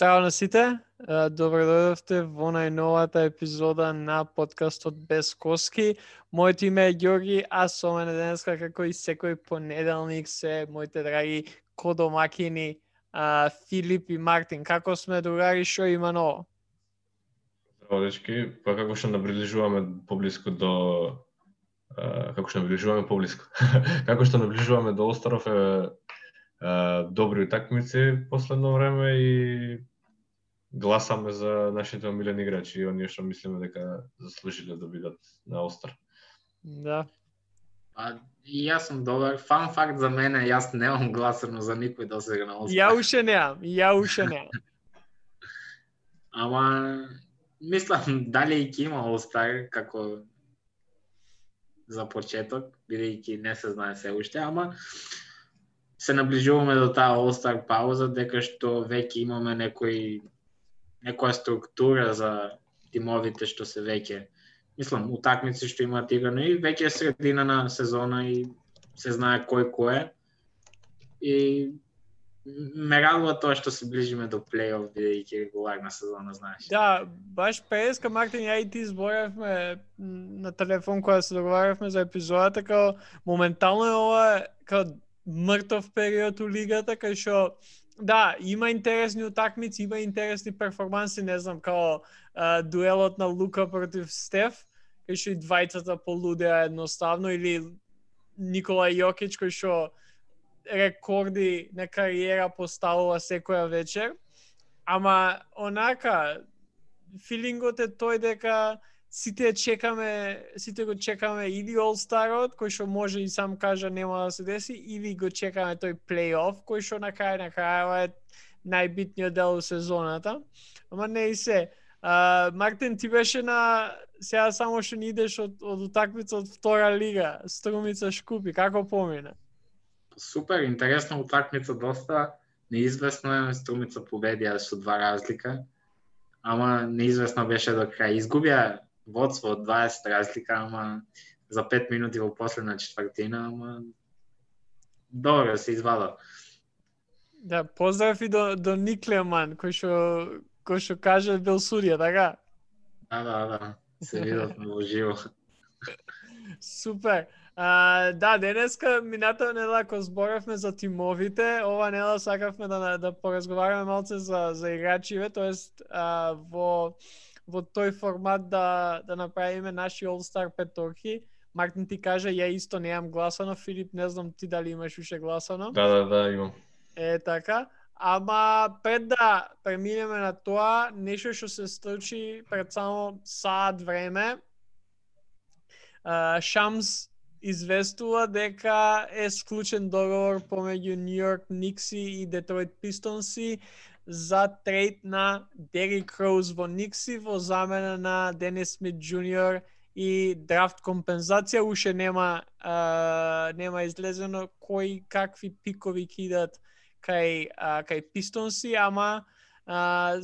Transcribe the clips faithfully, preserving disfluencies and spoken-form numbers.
Здраво на сите, добро дојдовте во најновата епизода на подкастот Без коски. Моето име е Ѓорги, а со мене денеска, како и секој понеделник, се моите драги кодомакини Филип и Мартин. Како сме, другари, шо има ново? Здраво, дечки, па како што наближуваме поблиску до а, како што наближуваме поблиску. како што наближуваме до Остаров е а, добри утакмици последно време и гласаме за нашите омилени играчи и оние што мислиме дека заслужиле да бидат на Остар. Да. А, и јас сум добар. Фан факт за мене, јас немам гласано за никој досега на Остар. Ја уште неам, ја уште неам. Ама мислам дали ќе има All-Star како за почеток, бидејќи не се знае се уште, ама се наближуваме до таа All-Star пауза, дека што веќе имаме некој некоја структура за тимовите што се веќе, мислам, утакмици што имаат играно и веќе е средина на сезона и се знае кој кој е. И ме радува тоа што се ближиме до плей-оф, бидејќи е регуларна сезона, знаеш. Да, баш преска, Мартин, ја и ти зборевме на телефон кога се договаравме за епизодата, као моментално е ова као мртов период у лигата, кај што да, има интересни утакмици, има интересни перформанси, не знам, као а, дуелот на Лука против Стеф, кај што и двајцата полудеа едноставно, или Никола Јокич, кој што рекорди на кариера поставува секоја вечер. Ама онака филингот е тој дека сите чекаме, сите го чекаме или All-Starот, кој што може и сам кажа нема да се деси, или го чекаме тој плей-оф, кој што на крај на крајава е најбитниот дел од сезоната. Ама не и се. А, Мартин, ти беше на сега само што не идеш од, од утакмица од втора лига, Струмица Шкупи, како помина? Супер, интересна утакмица, доста неизвестно е, Струмица победија со два разлика, ама неизвестно беше до крај. Изгубија водство од дваесет разлика, ама за пет минути во последна четвртина, ама добро се извадо. Да, поздрав и до, до Никлеман, кој што кој што каже бил судија, така? Да, да, да, се видовме во живо. Супер. А, да, денеска, минатата недела, кога зборевме за тимовите, ова недела сакавме да, да поразговараме малце за, за играчиве, тоест а, во, во тој формат да, да направиме наши All-Star петорки. Мартин ти каже, ја исто немам гласано, Филип, не знам ти дали имаш уште гласано. Да, да, да, имам. Е, така. Ама пред да преминеме на тоа, нешто што се случи пред само саат време, а, Шамс известува дека е склучен договор помеѓу Нью Йорк Никси и Детройт Пистонси за трейд на Дерик Роуз во Никси во замена на Денис Смит Џуниор и драфт компензација. Уште нема а, нема излезено кои какви пикови кидат кај а, кај Пистонси, ама а,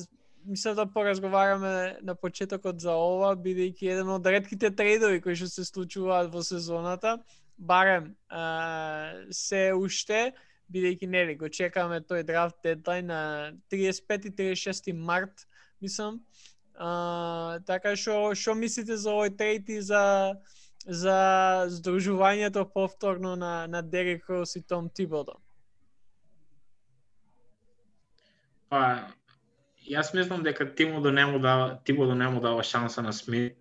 мислам да поразговараме на почетокот за ова, бидејќи еден од ретките трейдови кои што се случуваат во сезоната, барем а, се уште, бидејќи нели го чекаме тој драфт дедлайн на триесет и пети триесет и шести март, мислам. А, така што што мислите за овој трейд и за за здружувањето повторно на на Дерик Роуз и Том Тибодо? Па, јас мислам дека Тибодо не му дава, Тибодо не му дава шанса на Смит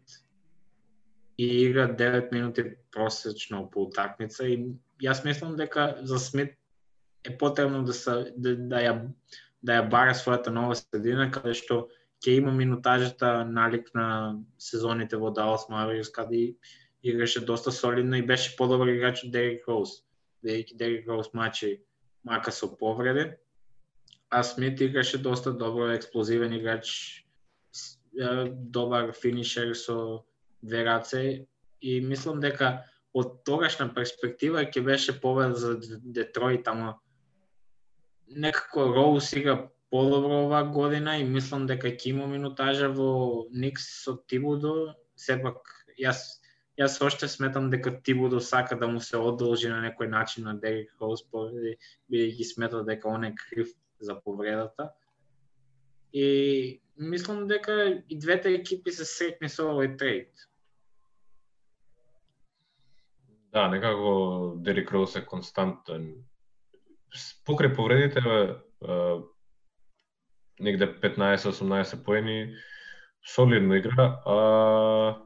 и игра девет минути просечно по утакмица и јас мислам дека за Смит е потребно да се да, да ја да ја бара својата нова средина, каде што ќе има минутажата налик на сезоните во Далас Маверикс, каде играше доста солидно и беше подобар играч од Дерик Роуз, бидејќи Дерик Роуз мачи мака со повреди. А Смит играше доста добро, експлозивен играч, добар финишер со две раце и мислам дека од тогашна перспектива ќе беше победа за Детройт, ама некако Роуз игра подобро оваа година и мислам дека ќе има минутажа во Никс со Тибодо. Сепак јас јас оште сметам дека Тибодо сака да му се одолжи на некој начин на Дерик Роуз, бидејќи смета дека он е крив за повредата. И мислам дека и двете екипи се сретни со овој трейд. Да, некако Дерик Роуз е константен. Покрај повредите, е, негде петнаесет-осумнаесет поени, солидно игра, а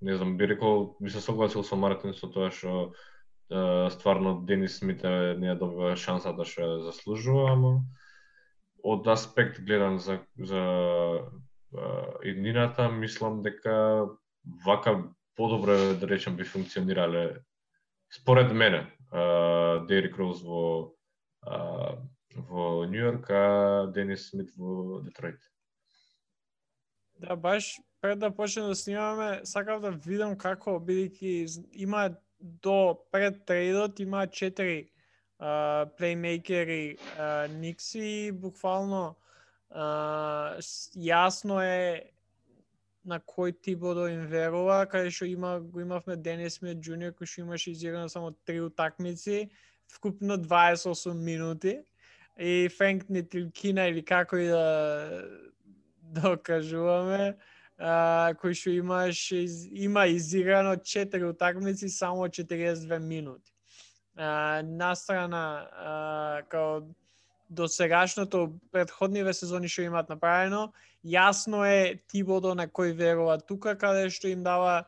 не знам, би рекол, би се согласил со Мартин со тоа што е, стварно Денис Смит не ја добива шансата што ја заслужува, ама од аспект гледан за за иднината, мислам дека вака подобро, да речем, би функционирале според мене Дерик Роуз во а, во Нью Йорк, а Денис Смит во Детройт. Да, баш пред да почнеме да снимаме, сакав да видам како, бидејќи има до пред трейдот има четири uh, плеймейкери uh, Никси, буквално uh, јасно е на кој Тибодо им верува, каде што има го имавме Денис Смит Джуниор кој што имаше изиграно само три утакмици, вкупно дваесет и осум минути, и Франк Нитилкина или како и да докажуваме, uh, кој што имаш из, има изиграно четири утакмици само четириесет и две минути. Uh, настрана uh, као до сегашното претходниве сезони што имаат направено, јасно е Тибодо на кој верува тука, каде што им дава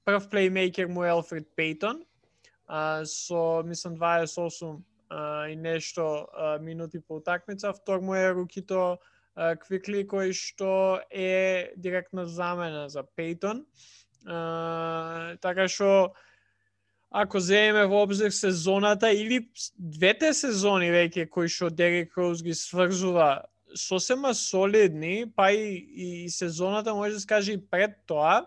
прв плеймейкер му Елфред Пейтон, uh, со мислам дваесет и осум uh, и нешто uh, минути по утакмица, втор му е рукито Квикли кој што е директна замена за Пейтон. Uh, така што ако земеме во обзир сезоната или двете сезони веќе кои што Дерик Роуз ги сврзува сосема солидни, па и, и сезоната може да се каже и пред тоа,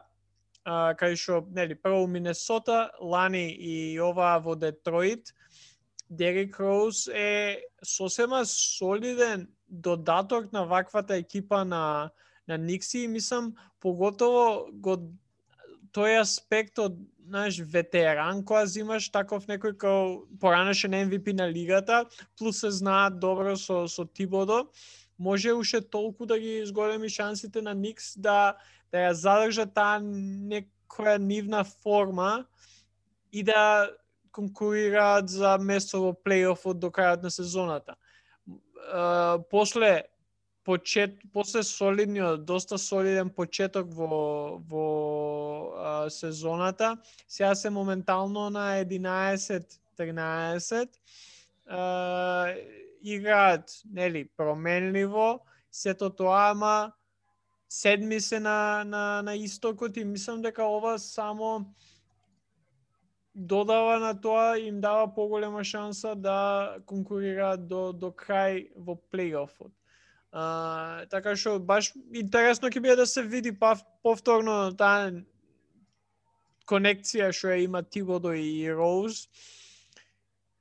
uh, кај што нели прво Минесота, лани и ова во Детройт, Дерик Роуз е сосема солиден додаток на ваквата екипа на на Никси и мислам поготово го тој аспект од знаеш ветеран кога зимаш таков некој како поранешен Ем Ви Пи на лигата, плюс се знаат добро со со Тибодо, може уште толку да ги изголеми шансите на Никс да да ја задржат таа некоја нивна форма и да конкурираат за место во плейофот до крајот на сезоната. Uh, после почет после солидниот, доста солиден почеток во во uh, сезоната, сега се моментално на единаесет тринаесет, uh, играат нели променливо, сето тоа, ама седми се на на на истокот и мислам дека ова само додава на тоа, им дава поголема шанса да конкурираат до до крај во плейофот. Uh, така што баш интересно ќе биде да се види па повторно таа конекција што ја има Тибодо и Роуз.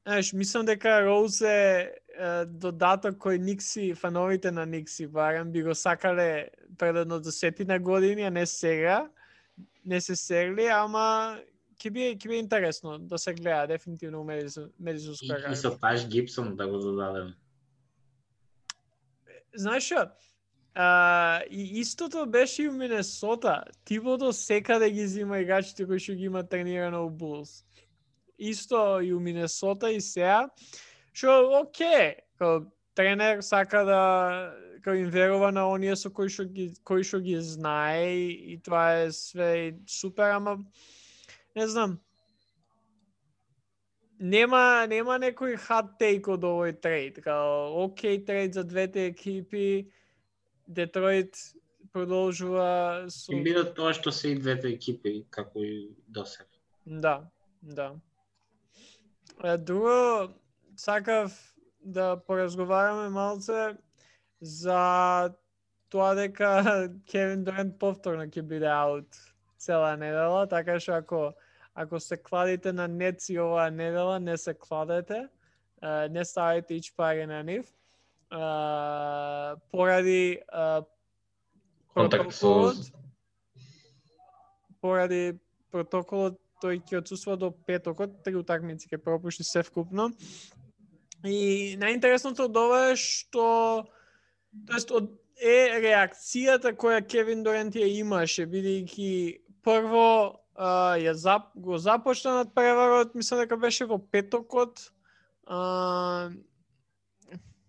Знаеш, мислам дека Роуз е, е додаток кој Никси, фановите на Никси барем би го сакале пред едно десетина години, а не сега. Не се серли, ама ќе биде ќе биде интересно да се гледа дефинитивно у медицинска карта. И со Таш Гибсон да го додадем. Знаеш што? А, и истото беше и у Минесота. Тибодо секаде ги зима играчите кои што ги има тренирано у Булс. Исто и у Минесота и сега. Што оке, као тренер сака да као им верува на оние со кои што ги кои што ги знае и тоа е све супер, ама не знам. Нема нема некој hot take од овој трейд, као окей трейд за двете екипи. Детройт продолжува со И биде тоа што се и двете екипи како и досега. Да, да. Друго, сакав да поразговараме малце за тоа дека Кевин Дурант повторно ќе биде аут цела недела, така што ако ако се кладите на Нетс и оваа недела, не се кладете, не ставите ич пари на нив. Uh, поради uh, протоколот со... поради протоколот тој ќе отсуства до петокот, три утакмици ќе пропушти се вкупно. И најинтересното од ова е што тоест од е реакцијата која Кевин Дурант ја имаше, бидејќи прво а, ја зап, го започна над преварот, мислам дека беше во петокот. А,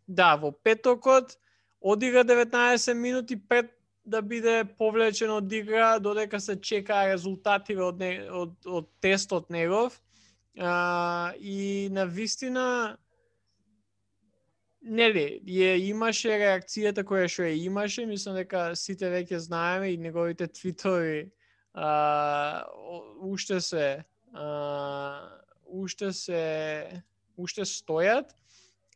да, во петокот одигра деветнаесет минути пред да биде повлечен од игра, додека се чекаа резултативе од, не, од, од тестот негов. А, и на вистина нели, ја имаше реакцијата која што ја имаше, мислам дека сите веќе знаеме и неговите твитови а, уште се а, уште се уште стојат.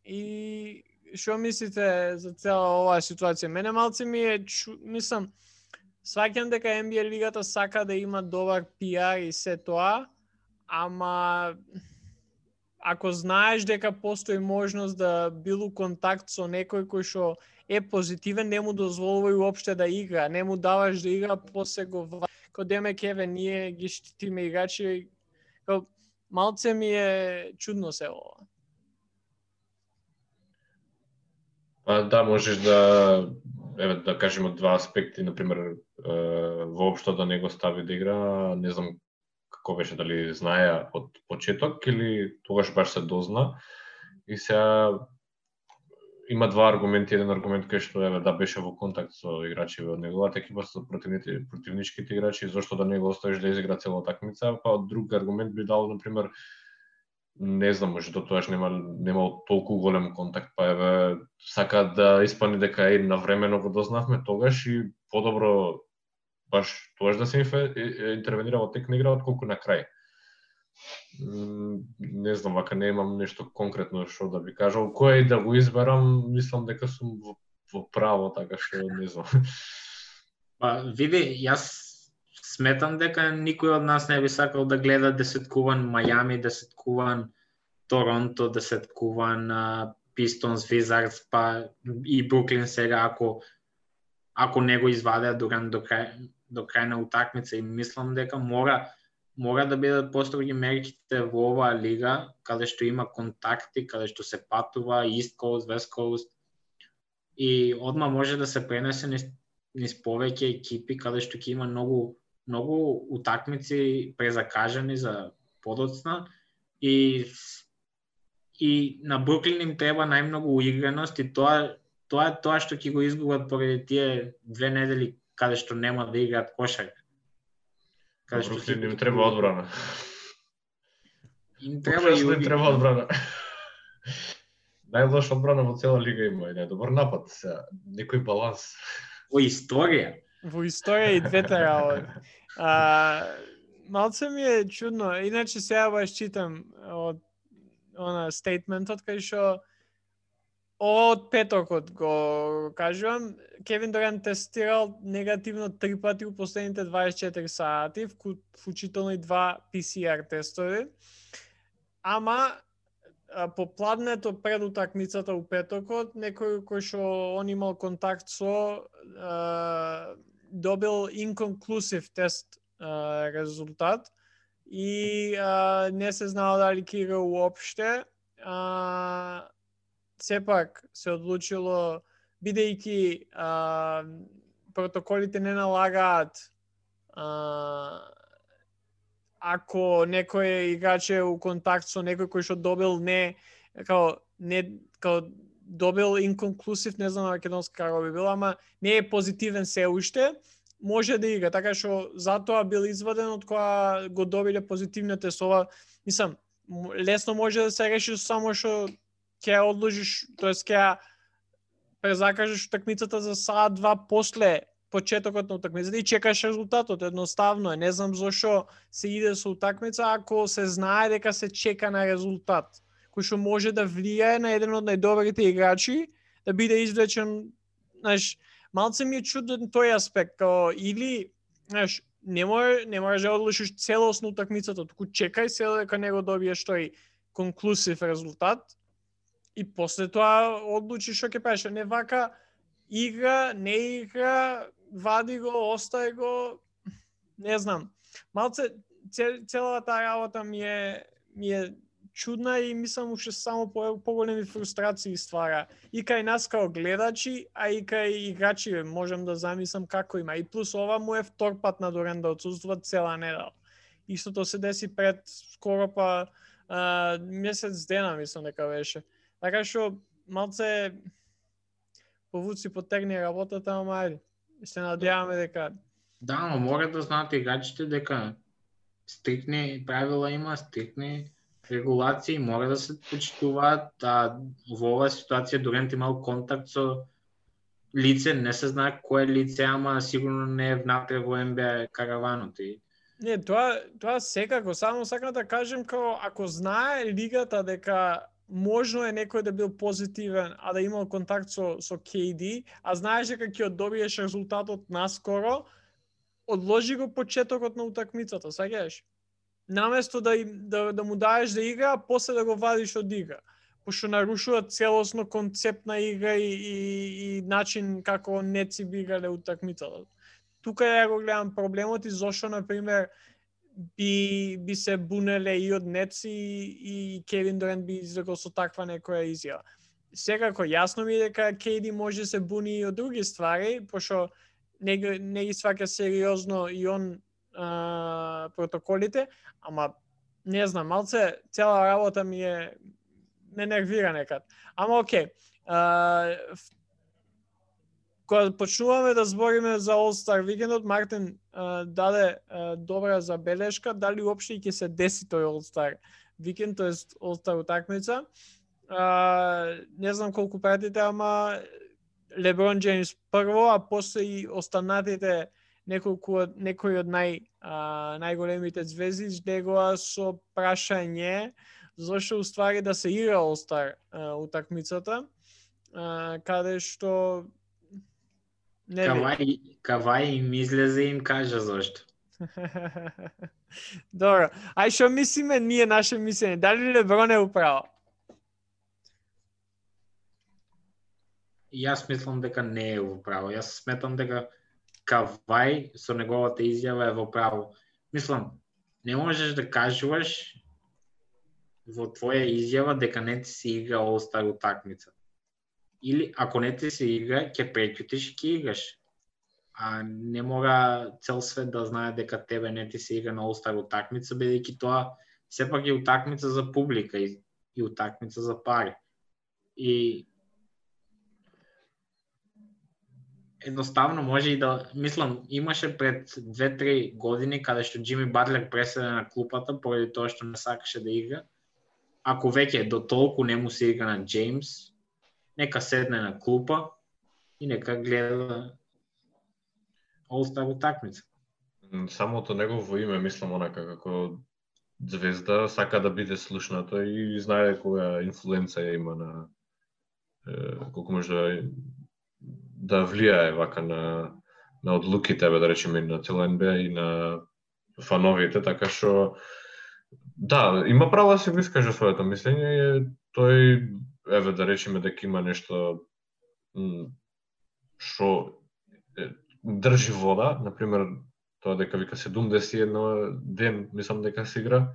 И што мислите за цела оваа ситуација? Мене малце ми е, чу... мислам, сваќам дека Н Б А лигата сака да има добар пи ар и се тоа, ама ако знаеш дека постои можност да бил у контакт со некој кој што е позитивен, не му дозволувај уопште да игра, не му даваш да игра, после го кој демек еве ние ги штитиме играчи, кој малце ми е чудно се ова. Па да, можеш да, еве да кажеме два аспекти, на пример, воопшто да не го стави да игра, не знам како беше, дали знаеа од почеток или тогаш баш се дозна. И сега има два аргументи, еден аргумент кај што еве да беше во контакт со играчи од неговата екипа, со противните противничките играчи, зошто да не го оставиш да изигра цела такмица, па друг аргумент би дал, на пример, не знам, може до тоаш нема немал толку голем контакт, па еве сака да испани дека е навремено го дознавме тогаш и подобро баш тогаш да се интервенира во тек на игра отколку на крај. Не знам, вака не имам нешто конкретно што да би кажал. Кој да го изберам, мислам дека сум во, во право, така што не знам. Па види, јас сметам дека никој од нас не би сакал да гледа десеткуван Мајами, десеткуван Торонто, десеткуван Пистонс, Визардс, па и Бруклин сега, ако ако не го извадеа Дурант до крај до крај на утакмица, и мислам дека мора мора да бидат построги мерките во оваа лига, каде што има контакти, каде што се патува East Coast, West Coast, и одма може да се пренесе низ, низ повеќе екипи, каде што ќе има многу многу утакмици презакажани за подоцна, и и на Бруклин им треба најмногу уиграност, и тоа тоа е тоа што ќе го изгубат поради тие две недели каде што нема да играат кошарка. Каде што Бруклин им треба одбрана. Им треба и им треба одбрана. Најлоша одбрана во цела лига има, и најдобар напад, сега некој баланс. Во историја. Во историја и двете работи. А, малце ми е чудно, иначе сега баш читам од она стейтментот кај што од петокот го кажувам, Кевин Дурант тестирал негативно три пати у последните дваесет и четири сати, вклучително и два пи си ар тестови. Ама по пладнето пред утакмицата у петокот, некој кој што он имал контакт со, а, добил inconclusive тест а, резултат и а, не се знало дали ќе игра уопште. А, сепак се одлучило, бидејќи а, протоколите не налагаат а, ако некој играч е у контакт со некој кој што добил не као не као добил inconclusive, не знам на македонски како би било, ама не е позитивен се уште, може да игра, така што затоа бил изваден од кога го добиле позитивните сова. Мислам, лесно може да се реши само што ќе одложиш, тоест ќе презакажеш утакмицата за саат два после почетокот на утакмицата и чекаш резултатот. Едноставно е, не знам зошто се иде со утакмица ако се знае дека се чека на резултат, кој што може да влијае на еден од најдобрите играчи да биде извлечен. Знаеш, малце ми е чуден тој аспект, као или, знаеш, не може не можеш да одлучиш целосно утакмицата, туку чекај се дека не го добиеш тој конклузив резултат и после тоа одлучиш што ќе правиш. Не вака игра, не игра, вади го, остави го, не знам. Малце целата работа ми е ми е чудна и мислам уште само по поголеми фрустрации ствара. И кај нас као гледачи, а и кај играчи можам да замислам како има. И плюс ова му е втор пат на Дорен да отсуствува цела недела. Истото се деси пред скоро па а, месец дена мислам дека беше. Така што малце повуци потегни работата, ама ајде. Се надеваме дека Да, но мора да знаат играчите дека стрикни правила има, стрикни регулации, мора да се почитуваат, а во оваа ситуација Дорент имал контакт со лице, не се знае кое лице, ама сигурно не е внатре во Н Б А караванот. И... Не, тоа тоа секако, само сакам да кажем како ако знае лигата дека можно е некој да бил позитивен, а да имал контакт со со К Д, а знаеш дека ќе добиеш резултатот наскоро, одложи го почетокот на утакмицата, саѓаш? Наместо да, да да му даеш да игра, а после да го вадиш од игра. Пошто нарушува целосно концепт на игра и, и, и начин како неци би играле утакмицата. Тука ја го гледам проблемот и зошто, например, би, би се бунеле и од Нетс и, и Кевин Дорент би изрекол со таква некоја изјава. Секако, јасно ми е дека К Д може се буни и од други ствари, пошто не, не ги сваќа сериозно и он а, протоколите, ама не знам, малце цела работа ми е ме нервира некад. Ама окей. А, кога почнуваме да збориме за All-Star викендот, Мартин а, даде а, добра забелешка, дали уопште ќе се деси тој All-Star викенд, тоест All-Star утакмица. А, не знам колку пратите, ама Леброн Джеймс прво, а после и останатите неколку некои од нај а, најголемите звезди излегоа со прашање зашто уствари да се игра All-Star утакмицата, а, каде што не Кавај, Кавај им излезе и им кажа зашто. Добро, ај што мислиме ние наше мислење, дали Леброн е управо? Јас мислам дека не е во право. Јас сметам дека Кавај со неговата изјава е во право. Мислам, не можеш да кажуваш во твоја изјава дека не ти се игра All-Star утакмица. Или ако не ти се игра, ќе преќутиш и ќе играш. А не мора цел свет да знае дека тебе не ти се игра на All-Star утакмица, бидејќи тоа сепак е утакмица за публика и, и утакмица за пари. И едноставно може и да, мислам, имаше пред две-три години каде што Џими Батлер преседе на клупата поради тоа што не сакаше да игра. Ако веќе до толку не му се игра на Джеймс, нека седне на клупа и нека гледа All-Star утакмица. Самото негово име, мислам, онака како звезда, сака да биде слушнато и знае која инфлуенца има на е, колку може да да влијае вака на на одлуките, да речеме, на цела Н Б А и на фановите, така што да, има право да се го искаже своето мислење и тој, еве да речеме дека има нешто што држи вода, например, тоа дека вика седумдесет и еден ден, мислам дека се игра,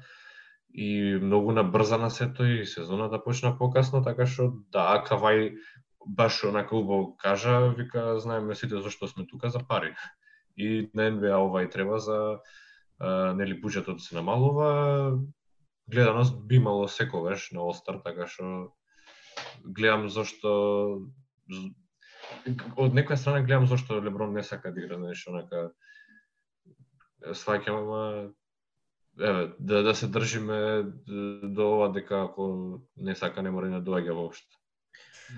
и многу набрзана сето и сезоната почна покасно, така што да, Кавај баш онака убаво кажа, вика, знаеме сите зашто сме тука, за пари. И на Н Б А ова и треба за а, нели буџетот се намалува, гледаност би имало секогаш на All-Star, така што гледам зашто од некоја страна гледам зашто Леброн не сака да игра, нешто онака сваќам, ама еве да да се држиме до ова дека ако не сака не мора да доаѓа воопшто.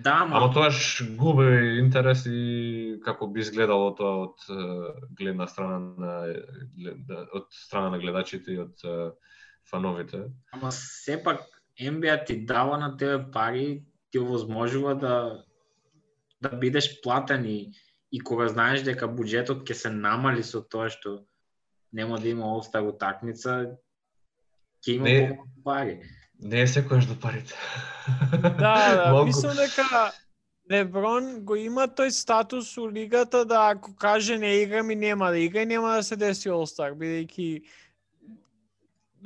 Да, ма... Ама тоаш губи интерес и како би изгледало тоа од гледна страна на од страна на гледачите и од фановите. Ама сепак Н Б А ти дава на тебе пари, ти овозможува да да бидеш платен и, и кога знаеш дека буџетот ќе се намали со тоа што нема да има All-Star утакмица, ќе има не, помалку пари. Не е секојаш до парите. Да, да, мислам дека Леброн го има тој статус у лигата да ако каже не играм и нема да игра и нема да се деси All-Star, бидејќи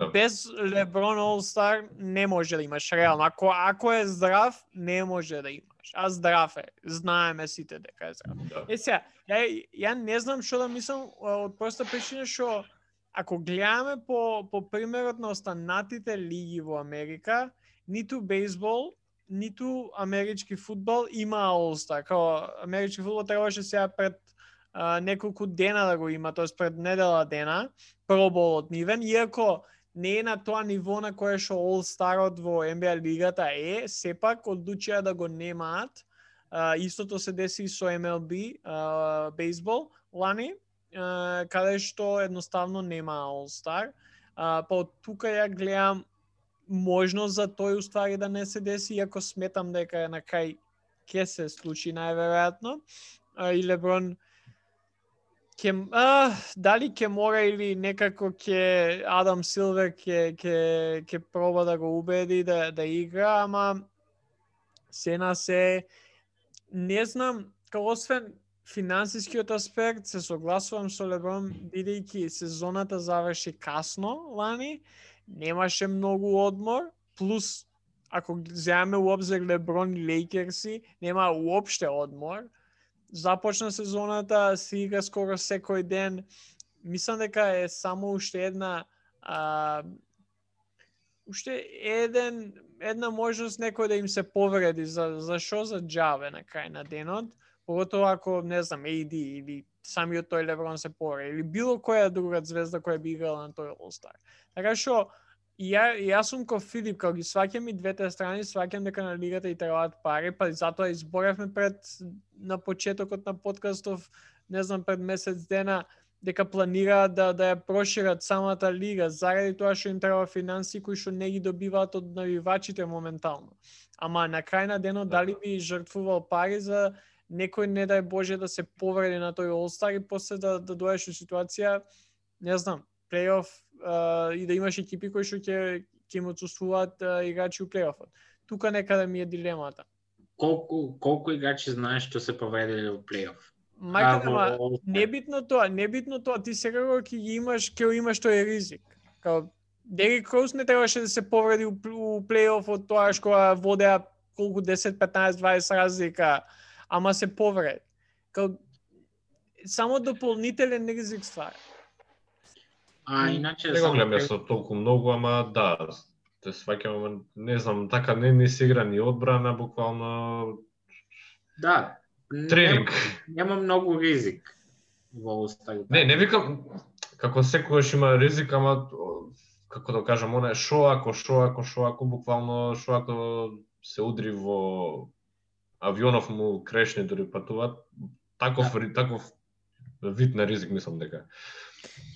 Да. Без Леброн All-Star не може да имаш реално. Ако ако е здрав, не може да имаш. А здрав е. Знаеме сите дека е здрав. Да. Е сега, ја, ја не знам што да мислам од проста причина што ако гледаме по по примерот на останатите лиги во Америка, ниту бейсбол, ниту амерички фудбал има All-Star. Као амерички фудбал требаше сега пред а, неколку дена да го има, тоест пред недела дена, проболот нивен, иако не е на тоа ниво на кое што All-Starот во Н Б А лигата е, сепак одлучија да го немаат. Uh, истото се деси со М Л Б, uh, бейсбол, лани, uh, каде што едноставно нема All-Star. Uh, па од тука ја гледам можност за тој уствари да не се деси, иако сметам дека на крај ќе се случи најверојатно. Uh, и Леброн Ке, а, дали ќе мора или некако ќе Адам Силвер ќе ќе ќе проба да го убеди да да игра, ама се на се не знам, као освен финансискиот аспект, се согласувам со Леброн, бидејќи сезоната заврши касно лани, немаше многу одмор, плюс ако земеме у обзир Леброн и Лейкерси, нема уопште одмор. Започна сезоната, се игра скоро секој ден. Мислам дека е само уште една а, уште еден една можност некој да им се повреди за за шо за џаве на крај на денот, поготово ако не знам А Д или самиот тој Леброн се повреди или било која друга звезда која би играла на тој All-Star. Така што И ја, јас сум ко Филип, као ги сваќам и двете страни, сваќам дека на лигата и требаат пари, па и затоа изборевме пред на почетокот на подкастов, не знам, пред месец дена, дека планираат да да ја прошират самата лига, заради тоа што им треба финансии кои што не ги добиваат од навивачите моментално. Ама на крај на денот дали би жртвувал пари за некој, не дај Боже, да се повреди на тој All-Star и после да да доеш у ситуација, не знам, плейоф uh, и да имаш екипи кои што ќе ќе им отсуствуваат uh, играчи у плейофот. Тука некаде ми е дилемата. Колку колку играчи знаеш што се повредиле во плейоф? Мајка, ама небитно тоа, небитно тоа, ти сега кога ќе ги имаш, ќе имаш тој ризик. Као Дерик Роуз не требаше да се повреди у, у плейофот тоа што водеа колку десет, петнаесет, дваесет разлика, ама се повреди. Као само дополнителен ризик ствара. А иначе не го гледам јас толку многу, ама да, те сваќам, не знам, така не не се игра ни одбрана, буквално да, тренинг. Нема, нема многу ризик во All-Star. Не, не викам како секогаш има ризик, ама како да кажам, она шо ако, шо ако, шо ако, буквално шо ако се удри во авионов му крешне дори патуваат, таков да. таков вид на ризик мислам дека.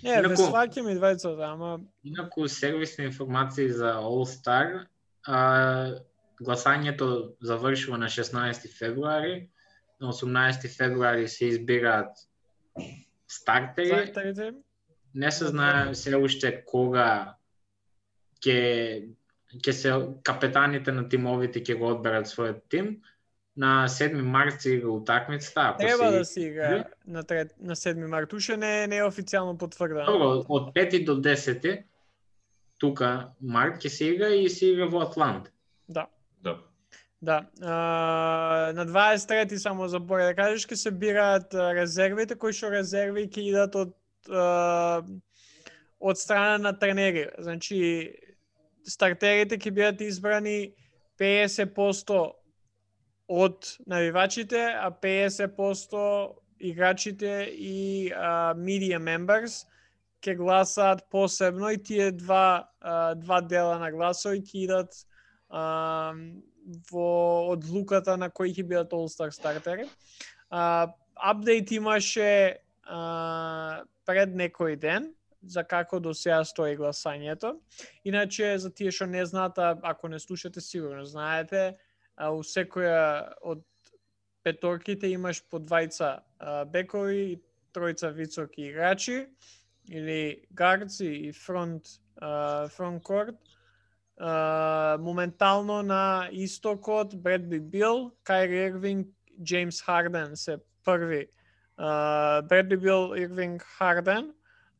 Не, ве сваќам и двајцата, ама инаку сервисни информации за All-Star, а, гласањето завршува на шеснаесети февруари, на осумнаесети февруари се избираат стартери. Стартерите. Не се знае се уште кога ќе ќе се капетаните на тимовите ќе го одберат својот тим. На седми март се игра утакмицата, ако треба се да се игра на трет, на седми март. Уше не не е официјално потврдено. Добро, од пети до десети тука март ќе се игра и се игра во Атланта. Да. Да. Да. А, на дваесет и трети само заборя да кажеш ќе се бираат резервите, кои што резерви ќе идат од а, од страна на тренери. Значи стартерите ќе бидат избрани педесет проценти од навивачите, а педесет проценти играчите и а, media members ќе гласаат посебно и тие два а, два дела на гласови ќе идат а, во одлуката на кои ќе бидат All-Star стартери. А, апдейт имаше а, пред некој ден за како до сега стои гласањето. Иначе за тие што не знаат, ако не слушате сигурно знаете, а у секоја од петорките имаш по двајца а, бекови и тројца високи играчи или гардси и фронт а, фронт корт. А, моментално на истокот Бредли Бил, Кайри Ирвинг, Джеймс Харден се први. А, Бредли Бил, Ирвинг, Харден.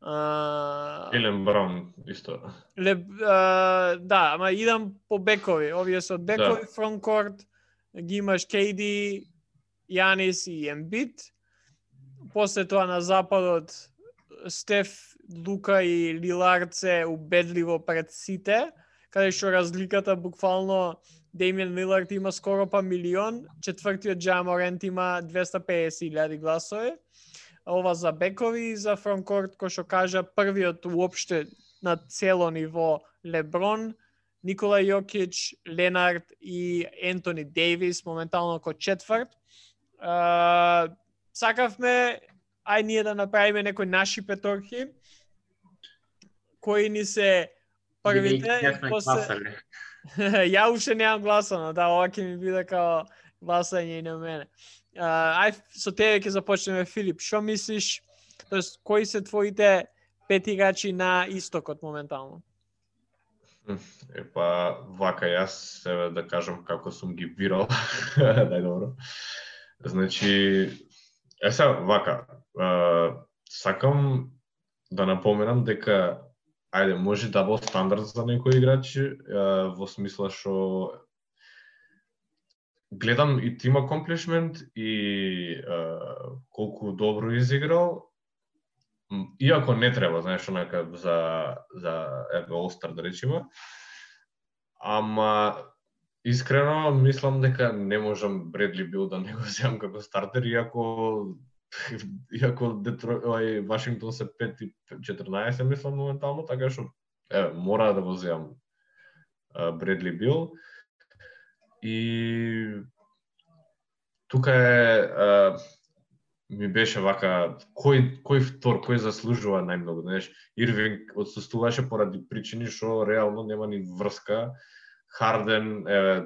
Uh, Елен Браун исто. Ле, uh, да, ама идам по бекови. Овие се од бекови, Да. фронткорт, ги имаш Кей Ди, Јанис и Ембит. После тоа на западот Стеф, Лука и Лилард се убедливо пред сите, каде што разликата буквално Демијан Лилард има скоро па милион, четвртиот Джа Морент има двеста и песет илјади гласови. Ова за бекови и за фронткорт, кој што кажа првиот уопште на цело ниво Леброн, Никола Јокич, Ленард и Ентони Дейвис моментално ко четврт. Uh, сакавме ај ние да направиме некои наши петорки кои ни се првите и после... Ја уште немам гласано, да, ова ќе ми биде као гласање и на мене. Uh, ај со тебе ќе започнеме, Филип. Што мислиш, тоест кои се твоите пет играчи на истокот моментално? Епа, вака јас себе да кажам како сум ги бирал. Најдобро. Значи, е сега вака, uh, сакам да напоменам дека ајде, може дабл стандард за некој играч, uh, во смисла што гледам и тим accomplishment и uh, колку добро изиграл, иако не треба, знаеш, онака за за еве All-Star да речеме. Ама искрено мислам дека не можам Бредли Бил да не го земам како стартер, иако иако Детрой, Вашингтон се пет и четрнаесет мислам моментално, така што еве мора да го земам Бредли Бил. И тука е а, ми беше вака кој кој втор, кој заслужува најмногу, знаеш, Ирвинг отсуствуваше поради причини што реално нема ни врска. Харден е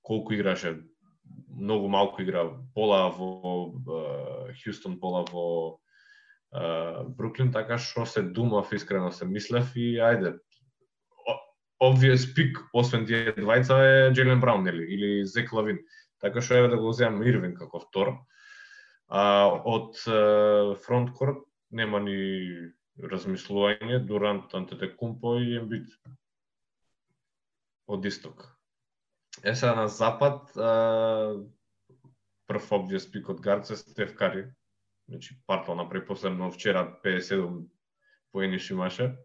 колку играше, многу малку игра, пола во Хјустон, пола во uh, Бруклин, така што се думав, искрено се мислев и ајде. Obvious pick, освен тие двајца е Джейлен Браун, нели, или Зек Лавин. Така што еве да го земам Ирвин како втор. А, од фронткорт нема ни размислување, Дурант, Антетекумпо и Ембит. Од исток. Е сега на запад, а, прв obvious pick од гард се Стеф Кари. Значи, партал направи последно вчера педесет и седум поени имаше.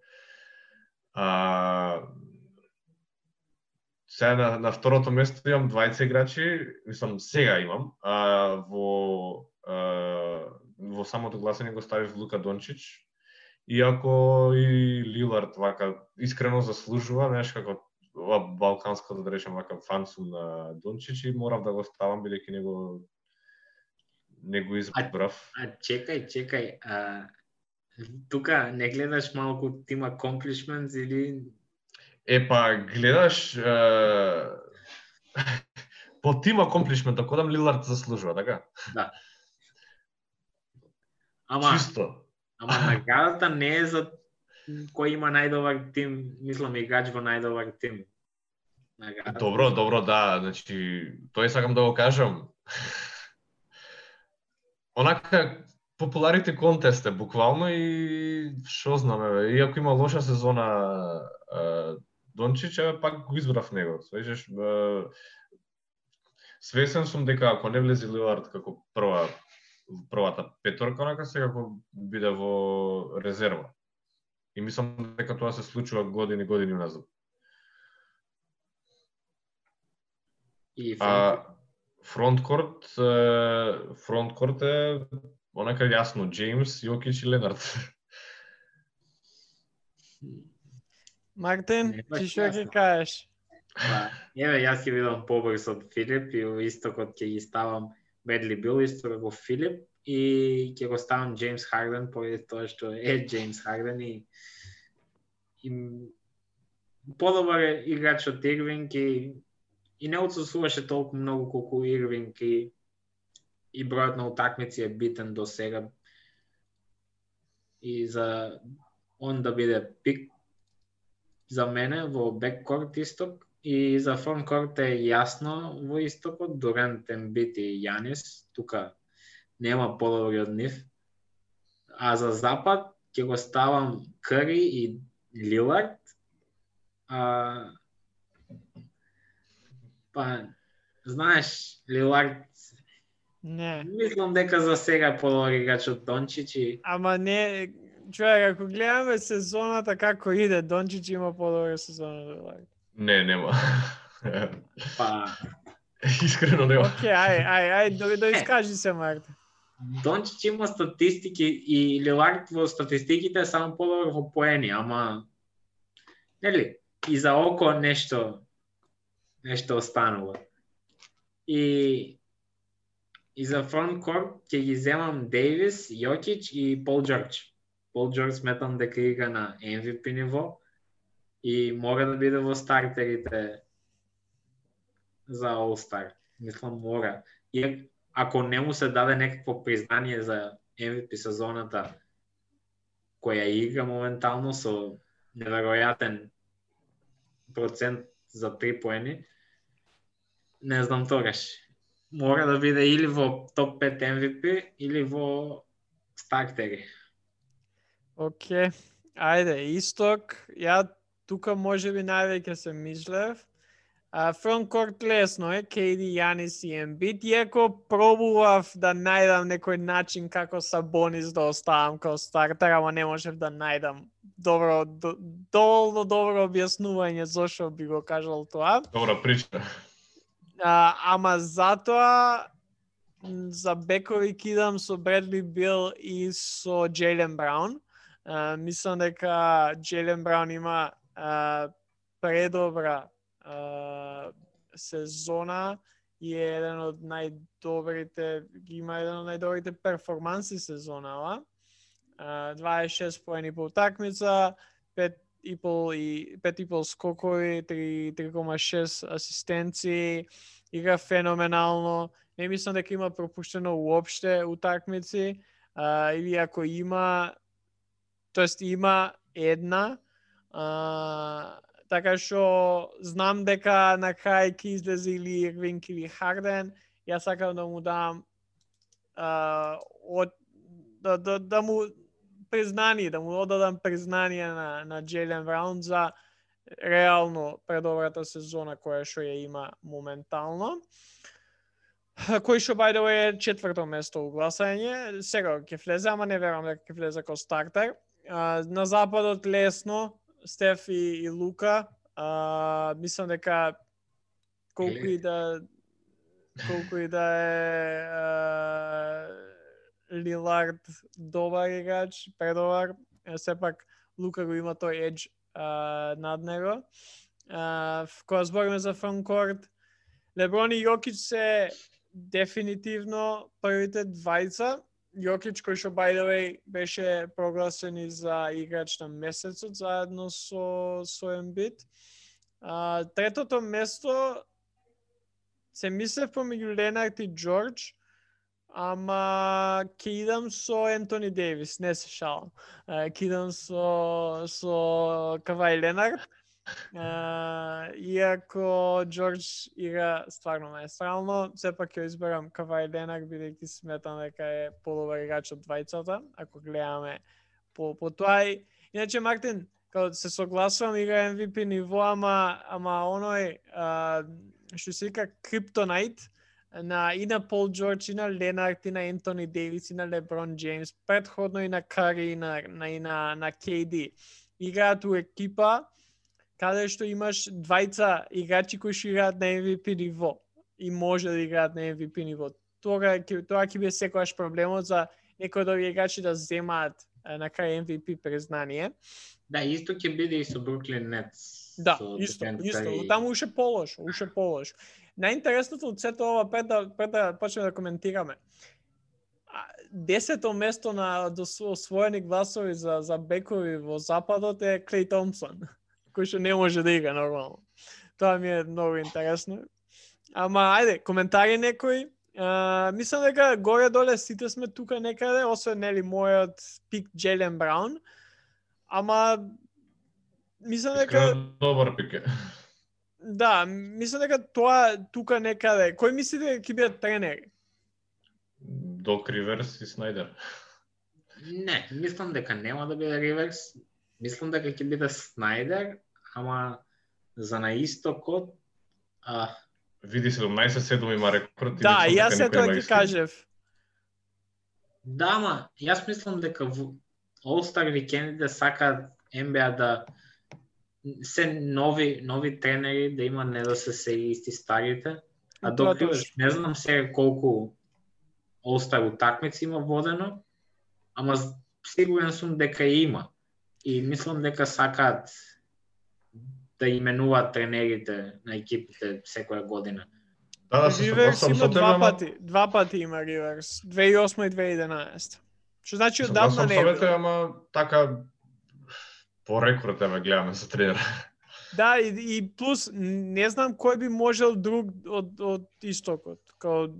А, сега на, на второто место имам двајца играчи, мислам сега имам, а, во, а, во самото гласање го ставив Лука Дончич, иако и Лилард вака искрено заслужува, знаеш како ова балканско да речем вака фан сум на Дончич и морав да го ставам бидејќи него не го избрав. А, а чекај, чекај, а тука не гледаш малку тим accomplishments или Епа, гледаш е... по тим accomplishment, ако дам Лилард заслужува, така? Да. Ама, Чисто. Ама наградата не е за кој има најдобар тим, мислам играч во најдобар тим. Наградата. Добро, добро, да, значи, тој сакам да го кажам. Онака, популарите контест е буквално и шо знаме, иако има лоша сезона Дончич, е, пак го избрав него. Свежеш, свесен сум дека ако не влезе Лилард како прва првата петорка, онака сега како биде во резерва. И мислам дека тоа се случува години години назад. И а фронткорт фронткорт е онака јасно Джеймс, Јокич и Ленард. Мартин, ти што ќе кажеш? Па, еве јас ќе бидам побрз од Филип и во истокот ќе ги ставам Бредли Бил исто како Филип и ќе го ставам Джеймс Харден поради тоа што е Джеймс Харден и, и подобар играч од Ирвинг и, и не отсуствуваше толку многу колку Ирвинг и, и бројот на утакмици е битен до сега и за он да биде пик за мене во беккорт исток и за фронткорт е јасно во истокот Дурант, Ембит и Јанис, тука нема подобри од нив. А за запад ќе го ставам Кари и Лилард. А, па, знаеш, Лилард Не. мислам дека за сега е подобар играч од Дончич и... Ама не, човек, ако гледаме сезоната како иде, Дончич има подобра сезона од Лилард. Не, нема. Па, Искрено нема. Океј, ај, ај, ај, да, да искажи се, Марта. Дончич има статистики и Лилард во статистиките е само подобар во поени, ама нели, и за око нешто нешто останало. И и за фронткорт ќе ги земам Дейвис, Јокич и Пол Џорџ. Пол Џорџ сметам дека игра на Ем Ви Пи ниво и мора да биде во стартерите за All-Star. Мислам мора. И ако не му се даде некакво признание за Ем Ви Пи сезоната која игра моментално со неверојатен процент за три поени, не знам тогаш. Мора да биде или во топ пет Ем Ви Пи или во стартери. Океј, ајде, исток, ја тука може би највеќе се мислев. Фронткорт лесно е, Кей Ди, Јанис и Ембит, иако пробував да најдам некој начин како Сабонис да оставам као стартер, ама не можев да најдам добро, до, доволно добро објаснување зошто би го кажал тоа. Добра причина. А, ама затоа за бекови кидам со Бредли Бил и со Джейлен Браун. А, мислам дека Джейлен Браун има а, предобра а, сезона и е еден од најдобрите, има еден од најдобрите перформанси сезонава. А, дваесет и шест поени по утакмица, пет и пол и пет и пол скокови, три и шест асистенции, игра феноменално. Не мислам дека има пропуштено уопште утакмици, а, или ако има, тоест има една, а, така што знам дека на крај ќе излезе или Ирвинг или Харден, јас сакам да му дам а, од, да, да, да му признание, да му одадам признание на, на Джейлен Браун за реално предобрата сезона која што ја има моментално. Кој што by the way е четврто место у гласање, сега ќе влезе, ама не верувам дека ќе влезе како стартер. А, на западот лесно, Стеф и, и Лука. А, мислам дека колку и да колку и да е а, Лилард добар играч, предобар, сепак Лука го има тој едж а, над него. А, кога збориме за фронткорт, Леброн и Јокич се дефинитивно првите двајца. Јокич, кој што by the way беше прогласен и за играч на месецот заедно со со Ембит. А, третото место се мислев помеѓу Ленард и Џорџ, ама ќе идам со Ентони Дейвис, не се шалам. Ќе идам со со Кавај Ленард. Uh, иако Џорџ игра стварно маестрално, сепак ќе изберам Кавај Ленард, бидејќи сметам дека е подобар играч од двајцата, ако гледаме по, по тоа. Иначе, Мартин, као се согласувам, игра Ем Ви Пи ниво, ама, ама оној, uh, што се вика Криптонайт, на, и на Пол Џорџ, и на Ленард, и на Ентони Дейвис, и на Леброн Джеймс, предходно и на Кари, и на, на, и на, на Кей Ди. Играат у екипа, каде што имаш двајца играчи кои што играат на Ем Ви Пи ниво и може да играат на Ем Ви Пи ниво. Тоа ќе тоа ќе биде секогаш проблемот за некои од овие играчи да земаат на крај Ем Ви Пи признание. Да, исто ќе биде и со Бруклин Нетс. Да, исто, исто. И... Таму уше полош, уше полош. Најинтересното од сето ова, пред да, пред да почнеме да коментираме, десето место на освоени гласови за, за бекови во западот е Клей Томпсон, кој што не може да игра нормално. Тоа ми е многу интересно. Ама, ајде, коментари некои. Uh, мислам дека горе-доле сите сме тука некаде, освен нели мојот пик Джейлен Браун. Ама, мислам дека... Добар пик е. Да, мислам дека тоа тука некаде... Кој мислите дека ќе бидат тренери? Док Риверс и Снайдер. Не, мислам дека нема да биде Риверс. Мислам дека ќе биде Снайдер, ама за на истокот а... Види седумнаесет седум има рекорд. Да, и јас се тоа ќе кажев. Да, ама јас мислам дека All-Star викендите сакаат Н Б А да се нови нови тренери да има, не да се се исти старите. А док не знам сега колку All-Star утакмици има водено, ама сигурен сум дека има. И мислам дека сакаат да именуваат тренерите на екипите секоја година. Да, да, се Риверс согласувам има со тебе, два ама... пати, два пати има Риверс, две илјади и осма и две илјади и единаесета. Што значи одамна Согласувам не со е тебе, бил. ама така по рекорд ме гледаме за тренер. Да, и, и плюс не знам кој би можел друг од од истокот, као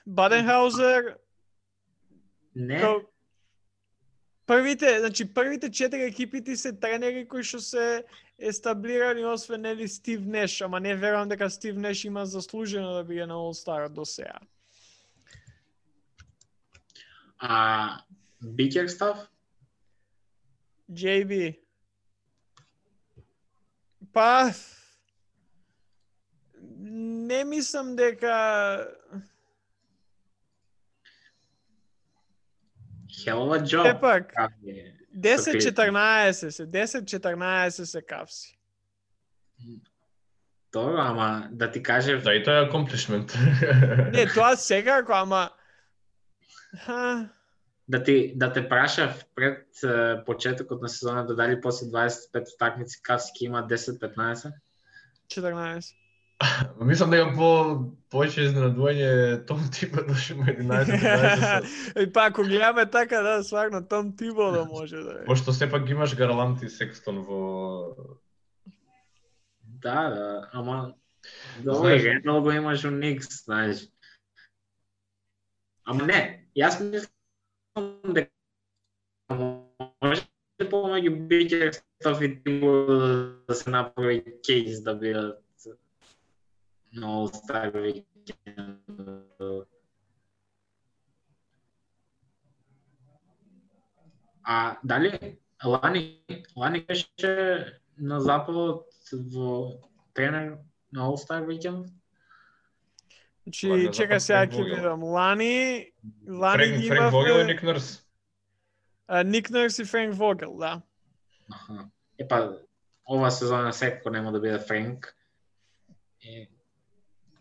Баденхаузер. Не. Као првите, значи првите четири екипите се тренери кои што се естаблирани, освен нели Стив Неш, ама не верувам дека Стив Неш има заслужено да биде на All-Star до сега. А Бикерстав? J B. Па не мислам дека Хелова джоб. Епак, десет четрнаесет се, десет четрнаесет се кавси. Тоа, ама да ти кажев... Да, и тоа е accomplishment. Не, тоа секако, ама... Ха... Да ти да те прашав пред uh, почетокот на сезоната дали после дваесет и пет утакмици кавси ќе има десет петнаесет? четрнаесет. Мислам дека по повеќе изненадување Том Тибо доше има единаесет дваесет. И па ако гледаме така, да, сварно Том Тибо да може да е. Пошто сепак ги имаш Гарланд и Секстон во... Да, да, ама... Добре, Рендал го имаш у Никс, знаеш. Ама не, јас мислам дека може помеѓу Бикерстав и Тибо да се направи кейс да бидат на All-Star Weekend. А дали Лани, Лани беше на западот во тренер на All-Star Weekend? Значи, чекај сега ќе видам. Лани, Лани Френк, ги Френк Вогел и имавме... Ник Нърс. Ник Нърс и Френк Вогел, да. Аха. Епа, ова сезона секако нема да биде Френк. Е...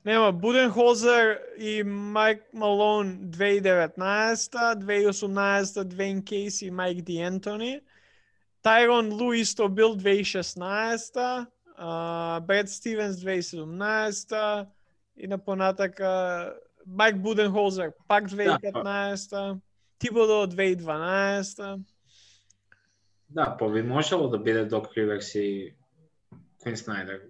Нема, Буденхолзер и Майк Малон две илјади и деветнаесета, две илјади и осумнаесета Двейн Кейси и Майк Ди Ентони, Тайрон Лу исто бил две илјади и шеснаесета, Бред Стивенс две илјади и седумнаесета и на понатака Майк Буденхолзер пак две илјади и петнаесета, Тибодо две илјади и дванаесета. Да, па би можело да биде Док Риверс и Квин Снайдер.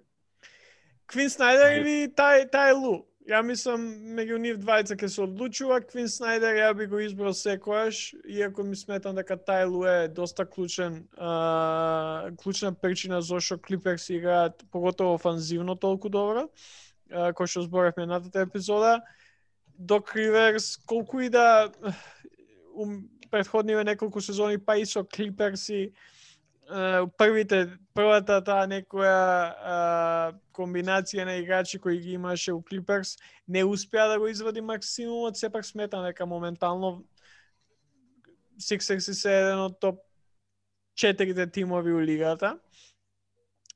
Квин Снайдер или Тај, Тај Лу. Ја мислам, меѓу нив двајца ќе се одлучува. Квин Снайдер ја би го избрал секојаш, иако ми сметам дека Тај Лу е доста клучен, а, клучна причина зашто Клиперс играат поготово офанзивно толку добро, а, кој што зборевме едната епизода. Док Риверс, колку и да ум, претходниве неколку сезони, па и со Клиперси, првите, првата таа некоја а, комбинација на играчи кои ги имаше у Клиперс, не успеа да го извади максимумот, сепак сметам дека моментално Сиксерси се еден од топ четирите тимови у лигата.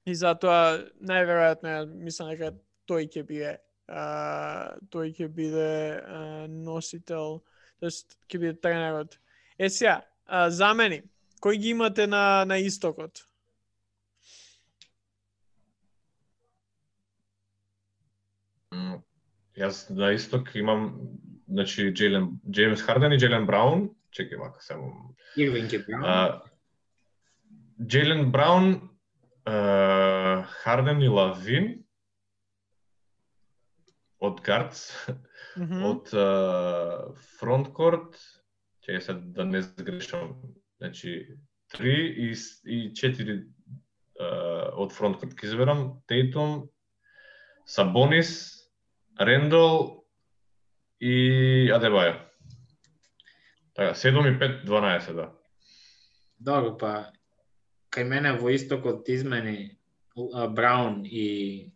И затоа најверојатно мислам дека тој ќе биде а, тој ќе биде а, носител, тоест ќе биде тренерот. Е сега, а, замени, кој ги имате на на истокот? Mm, јас на исток имам, значи Джейлен, Джеймс Харден и Джейлен Браун. Чекај вака само. Ирвинг и Браун. Джейлен Браун, uh, Харден и Лавин од гардс, mm -hmm. од uh, фронткорт, чекај се да не сгрешам, значи три и, и четири uh, од фронткорт ќе изберам, Тейтум, Сабонис, Рендол и Адебајо. Така, седум и пет, дванаесет, да. Добро, па кај мене во истокот измени Браун и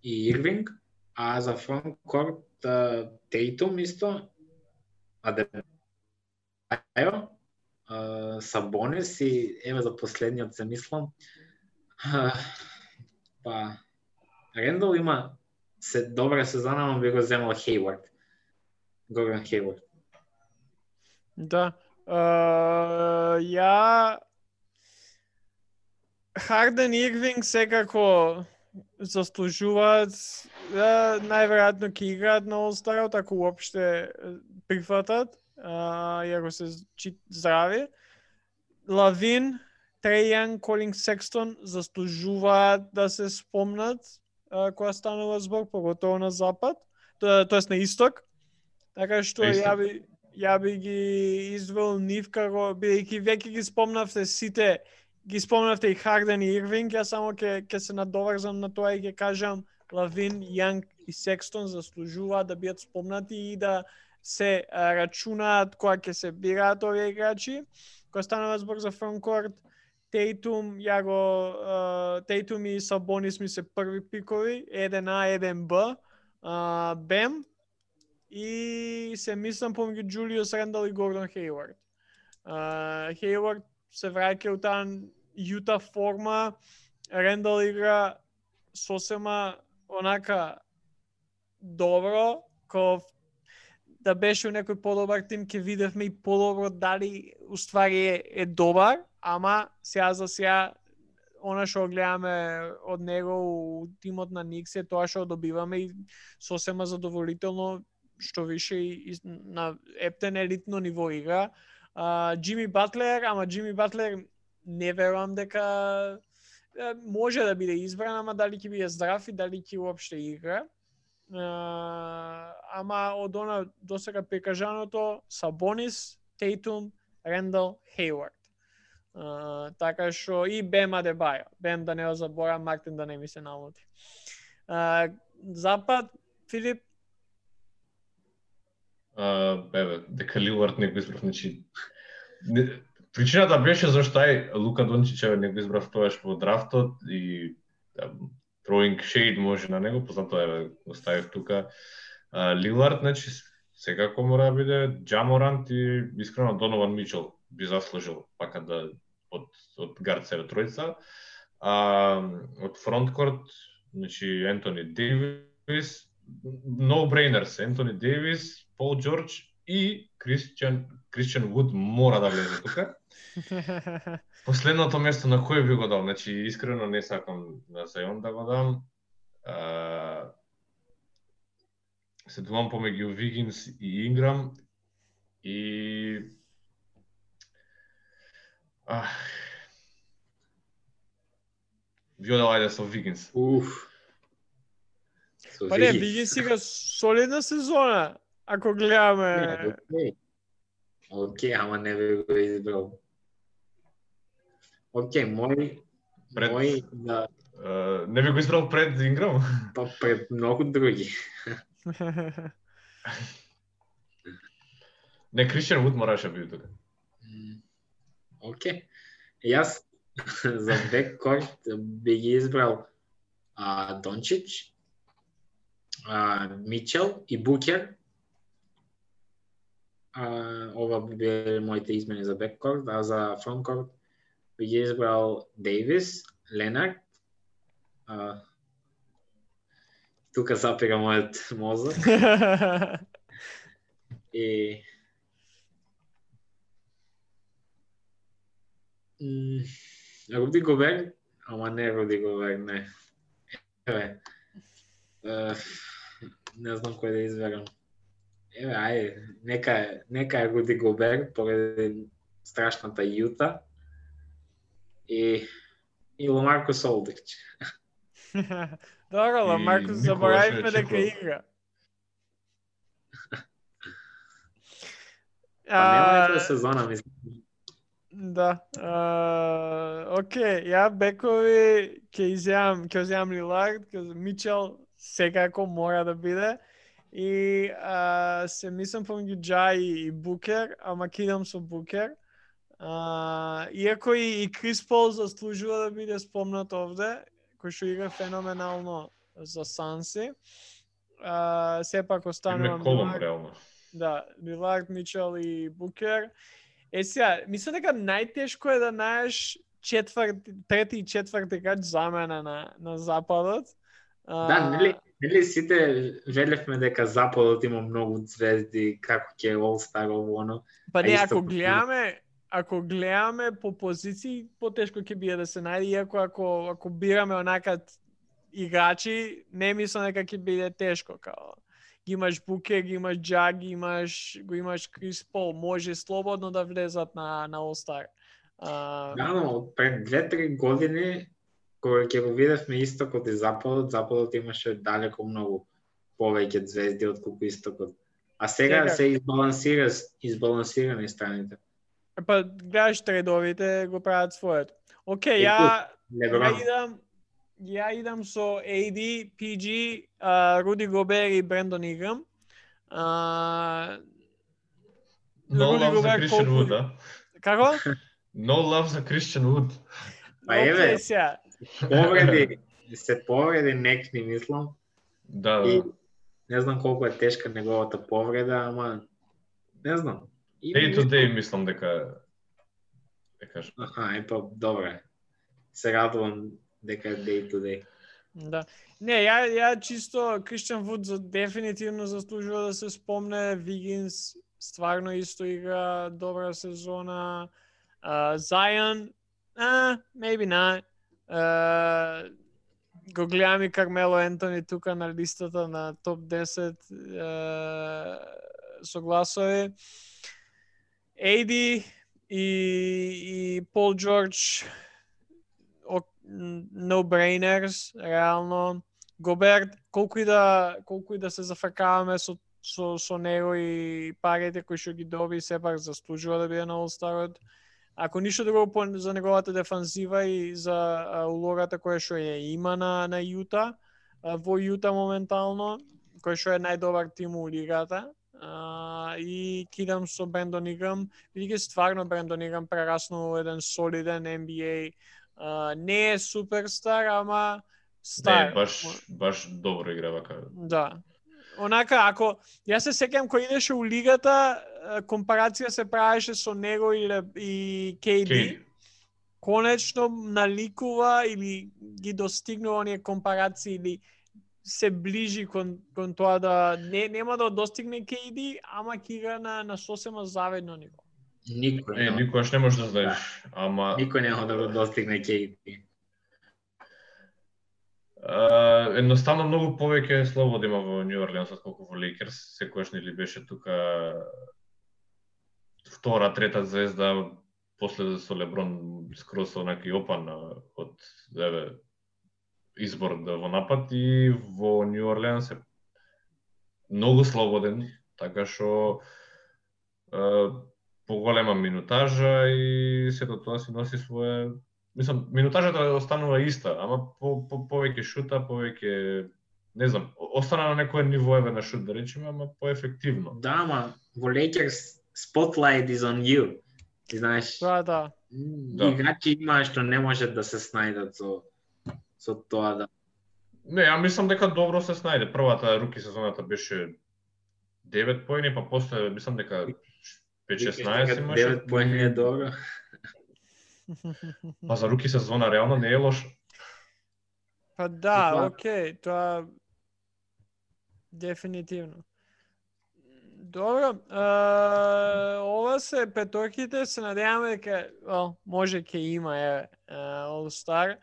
и Ирвинг, а за фронткорт Тейтум исто, Адебајо, Сабонис и еве за последниот се мислам. Па Рендал има се добра сезона, но би го земал Хейвард. Гордон Хейвард. Да. Uh, ја Харден и Ирвинг секако заслужуваат, да, најверојатно ќе играат на All-Star, ако уопште прифатат, uh, иако се здрави. Лавин, Треј Јанг, Колин Секстон заслужуваат да се спомнат uh, кога станува збор, поготово на запад, тоест на исток. Така што ја би ја би ги извел нив како, бидејќи веќе ги спомнавте сите, ги спомнавте и Харден и Ирвинг, ја само ќе ќе се надоврзам на тоа и ќе кажам Лавин, Јанг и Секстон заслужуваат да бидат спомнати и да се а, рачунаат кога ќе се бираат овие играчи. Кога станува збор за фронткорт, Тейтум, ја го Тейтум и Сабонис ми се први пикови, еден А, еден Б, а, Бем, и се мислам помеѓу Джулиус Рендал и Гордон Хейвард. Uh, Хейвард се враќа у таа Јута форма, Рендал игра сосема онака добро, ко да беше у некој подобар тим ќе видевме и подобро дали уствари е, е добар, ама сега за сега она што гледаме од него у тимот на Никс е тоа што добиваме и сосема задоволително, што више и на ептен елитно ниво игра. Uh, Джими Батлер, ама Джими Батлер не верувам дека може да биде избран, ама дали ќе биде здрав и дали ќе уопште игра. Uh, ама од она досега прикажаното Сабонис, Тейтум, Рендал, Хейвард. Uh, така што и Бем Адебајо. Бем да не го заборам, Мартин да не ми се намоти. Uh, Запад, Филип? Uh, бебе, дека Лилард не го избрав, значи не, причината беше зашто ај Лука Дончич не го избрав тоаш во драфтот и да, throwing shade може на него, познато еве го ставив тука. Uh, Лилард, значи секако мора да биде, Джа Морант и искрено Донован Мичел би заслужил пака да од од гард себе тројца. А од фронткорт, значи Ентони Дейвис, no brainers, Ентони Дейвис, Пол Џорџ и Кристијан Кристијан Вуд мора да влезе тука. Последното место на кој би го дал? Значи искрено не сакам на Зајон да го дам. А, се думам помеѓу Вигинс и Инграм и а Вио дал ајде со Вигинс. Уф. Па не, Вигинс игра солидна сезона, ако гледаме. Океј, okay, ама не би го избрал. Океј, okay, мој пред... мој да uh, не би го избрал пред Инграм? Па пред многу други. Не, Кристијан Вуд мораше биде тука. Океј. Okay. Јас за беккорт би ги избрал а, Дончич, а, Мичел и Букер. А, ова би биле моите измени за беккорт, а за фронткорт би ги избрал Дейвис, Ленард. А, тука запира мојот мозок. И Руди Гобер, ама не Руди Гобер, не. Еве, не знам кој да изберам. Еве, ајде, нека, нека е Руди Гобер, поради страшната Јута. И, и Ламаркус Олдрич. Добро, Ламаркус заборавивме дека игра. Па нема некоја сезона, мислам. Да. Uh, Океј, ја бекови ќе изјавам, ќе изјавам Лилард, ќе Мичел секако мора да биде И а, се мислам помеѓу Джа и, и Букер, ама кидам со Букер. А, иако и, и Крис Пол заслужува да биде спомнат овде, кој што игра феноменално за Санси. А, сепак останува Колум, реално. Да, Лилард, Мичел и Букер. Е сега, мислам дека најтешко е да најдеш четврти, трети и четврти играч замена на на западот. А... Да, нели, нели сите велевме дека западот има многу звезди, како ќе е All-Star ово оно. Па не, ако гледаме, ако гледаме по позиции, потешко ќе биде да се најде, иако ако ако бираме онака играчи, не мислам дека ќе биде тешко, као ги имаш Букер, ги имаш Джа, ги имаш, го имаш Крис Пол, може слободно да влезат на на All-Star. А... Да, но пред две-три години кога ќе го видевме истокот и западот, западот имаше далеко многу повеќе звезди од колку истокот. А сега Сега... се избалансира, избалансирани страните. Па гледаш тредовите го прават своето. Океј, ја ја идам ја идам со ей ди, пи джи, uh, Руди Гобер и Брендон Играм. Uh, No Rudy love Gobert, за Кристијан Вуд, да? Како? No love за Кристијан Вуд. Па еве, повреди, се повреди некни, мислам. Да, да. И не знам колку е тешка неговата повреда, ама не знам. Day to day мислам дека да кажам. Аха, е па добре. Се радувам дека е day to day. Да. Не, ја ја чисто Кристијан Вуд за дефинитивно заслужува да се спомне. Вигинс стварно исто игра добра сезона. Зајан, uh, maybe not. Uh, го гледам и Кармело Ентони тука на листата на топ десет uh, со гласови. ей ди и, и Пол Джордж no-brainers, реално. Гоберт, колку и да колку и да се зафркаваме со со со него и парите кои што ги доби, сепак заслужува да биде на All-Starот. Ако ништо друго за неговата дефанзива и за а, улогата која што ја има на на Јута, а, во Јута моментално, кој што е најдобар тим у лигата. Uh, и кидам со Брендон Играм, бидејќи стварно Брендон Играм прераснува еден солиден Н Б А. Uh, не е суперстар, ама стар. Не, баш баш добро игра вака. Да. Онака, ако јас се сеќам кој идеше у лигата, компарација се правеше со него и, и Кей Ди. Кей. Конечно наликува или ги достигнува оние компарации или се ближи кон, кон тоа да не нема да достигне Кей Ди, ама ќе игра на на сосема завидно ниво. Никој не, никогаш не можеш да знаеш, ама никој нема да го достигне Кей Ди. Uh, едноставно многу повеќе слобода има во Нью Орлеанс отколку во Лейкерс. Секогаш нели беше тука втора, трета звезда, после со Леброн скроз онаки опан од еве избор да во напад, и во Нью Орлеанс е многу слободен, така што uh, поголема минутажа и сето тоа си носи своје. Мислам, минутажата останува иста, ама по, по, повеќе шута, повеќе, не знам, остана на некој ниво еве на шут, да речеме, ама поефективно. Да, ама во Lakers spotlight is on you. Ти знаеш, Да, да. Играчи има што не можат да се снајдат со со тоа да. Не, ја мислам дека добро се снајде. Првата руки сезоната беше девет поени, па после мислам дека пет-шеснаесет имаше. девет поени е добро. Па за руки сезона реално не е лошо. Па да, окей, тоа дефинитивно. Добро, uh, ова се петорките, се надеваме дека well, може ќе има е uh, All-Star.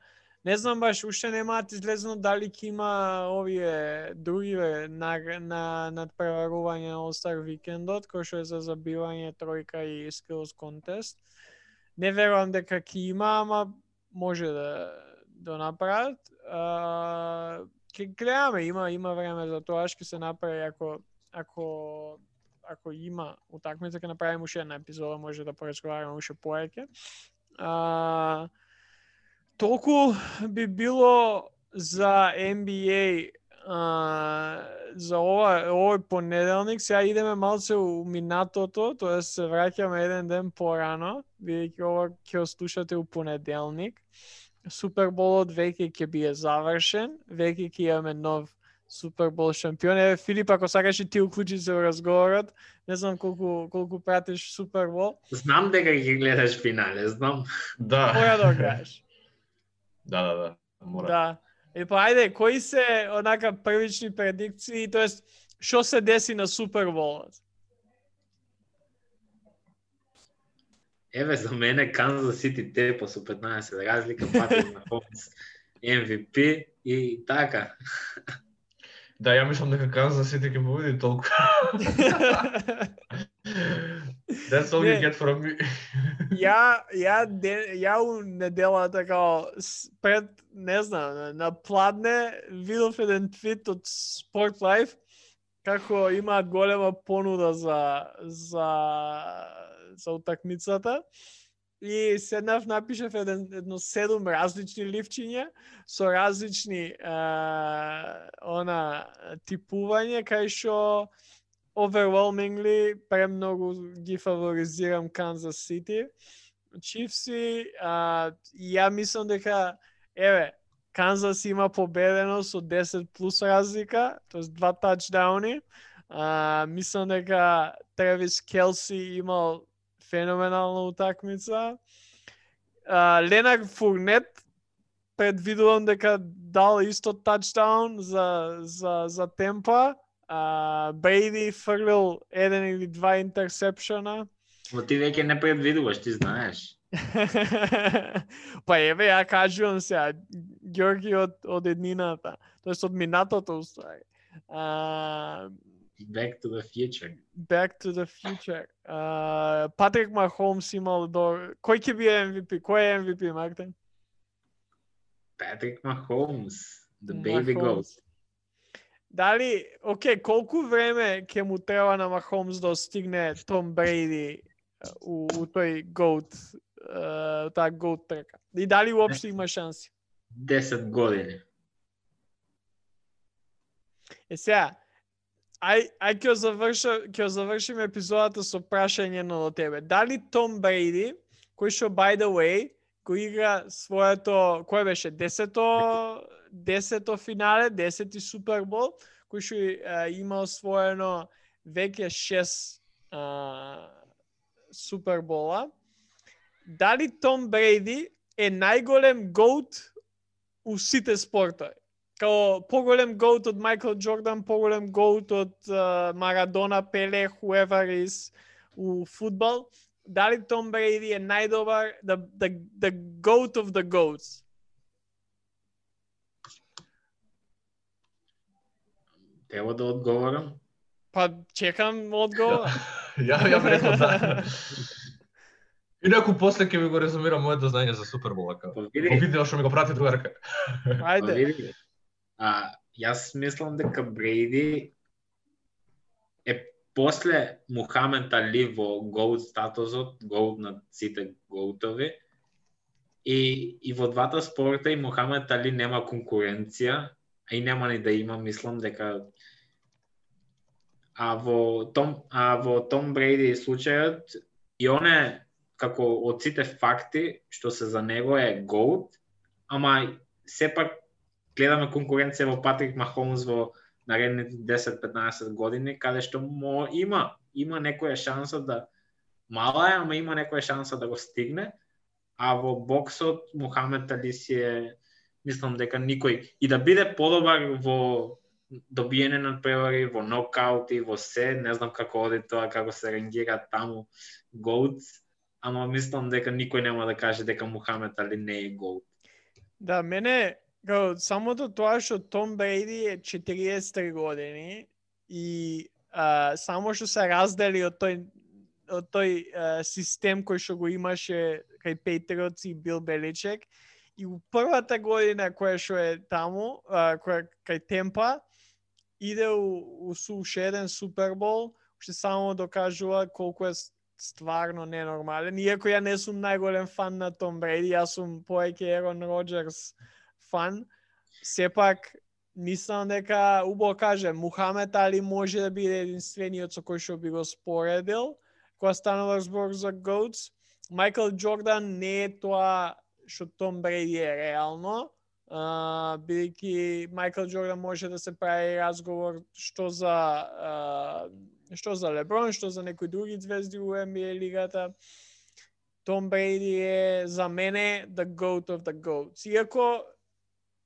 Не знам баш, уште немаат излезено дали ќе има овие други на, на надпреварување на All-Star викендот, кој што е за забивање тројка и skills contest. Не верувам дека ќе има, ама може да да направат. Uh, ќе гледаме, има има време за тоа, ќе се направи ако ако ако има утакмица, ќе направиме уште една епизода, може да поразговараме уште повеќе. Uh, толку би било за Н Б А а, за ова овој понеделник. Сега идеме малце у минатото, тоа се враќаме еден ден порано, бидејќи ова ќе го слушате у понеделник. Суперболот веќе ќе биде завршен, веќе ќе имаме нов Супербол шампион. Еве Филип, ако сакаш и ти уклучи се во разговорот, не знам колку колку пратиш Супербол. Знам дека ќе гледаш финале, знам. Да. Мора да го гледаш. Да, да, да. Мора. Да. И па ајде, кои се онака првични предикции, тоест што се деси на Суперболот? Еве за мене Канзас Сити тепа со петнаесет разлика, Патрик Махомс Ем Ви Пи и така. Да, ја мислам дека Канзас Сити ќе победи толку. That's all you get from me. Ја, ја, де, ја у неделата као пред, не знам, на пладне видов еден твит од Sport Life како имаат голема понуда за за за утакмицата и седнав напишав еден едно седум различни ливчиња со различни а, она типување кај што overwhelmingly премногу ги фаворизирам Канзас Сити. Чифси, а, ја мислам дека еве Канзас има победено со десет плюс разлика, тоест два тачдауни. А, мислам дека Тревис Келси имал феноменална утакмица. А, Ленар Фурнет предвидувам дека дал исто тачдаун за за за Темпа. Uh, Брейди фрлил еден или два интерсепшена. Но ти веќе не предвидуваш, ти знаеш. Па еве, ја кажувам сега, Ѓорги од, од еднината, тоест од минатото уствари. Uh, Back to the future. Back to the future. Uh, Патрик Махомс имал до... Кој ќе биде Ем Ви Пи? Кој е Ем Ви Пи, Мартин? Патрик Махомс, the baby goat. Дали, окей, колку време ќе му треба на Махомс да стигне Том Брейди у, у тој GOAT, uh, таа GOAT трка? И дали уопште има шанси? десет години. Е сега, ај, ај ќе завршим, ќе завршим епизодата со прашање на тебе. Дали Том Брейди, кој што by the way, кој игра своето, кој беше десето десето финале, десети Супербол, кој што uh, имал своено веќе шест uh, Супербола. Дали Том Брейди е најголем GOAT у сите спортови? Као поголем GOAT од Майкл Джордан, поголем GOAT од uh, Марадона, Пеле, whoever is у фудбал. Дали Том Брейди е најдобар, the, the, the GOAT of the GOATs? Треба да одговорам? Па чекам одговор. Ја ја би рекол да. Инаку после ќе ви го резумирам моето знаење за Супербола како. Во видео што ми го прати другарка. Ајде. А јас мислам дека Брейди е после Мухамед Али во GOAT статусот, GOAT на сите GOAT-ови. И и во двата спорта и Мухамед Али нема конкуренција, а и нема ни да има, мислам дека а во Том а во Том Брейди случајот и он е како од сите факти што се за него е GOAT, ама сепак гледаме конкуренција во Патрик Махомс во наредните десет-петнаесет години, каде што мо има има некоја шанса да мала е, ама има некоја шанса да го стигне, а во боксот Мухамед Али си е, мислам дека никој и да биде подобар во добиење на превари, во нокаути, во се, не знам како оди тоа, како се рангира таму GOATs, ама мислам дека никој нема да каже дека Мухамед Али не е GOAT. Да, мене као самото тоа што Том Брейди е четириесет три години и а, само што се раздели од тој од тој а, систем кој што го имаше кај Пейтриотс и Бил Беличек и у првата година која што е таму, а, која кај Темпа иде у, у уште еден Супербол, уште само докажува колку е стварно ненормален. Иако ја не сум најголем фан на Том Брейди, јас сум повеќе Ерон Роџерс фан, сепак мислам дека убаво каже Мухамед Али може да биде единствениот со кој што би го споредил кога станува збор за GOATs. Майкл Џордан не е тоа што Том Бреди е реално, uh, бидејќи Майкл Џордан може да се прави разговор што за uh, што за Леброн, што за некои други звезди у Н Б А лигата. Том Бреди е за мене the GOAT of the GOATs. Иако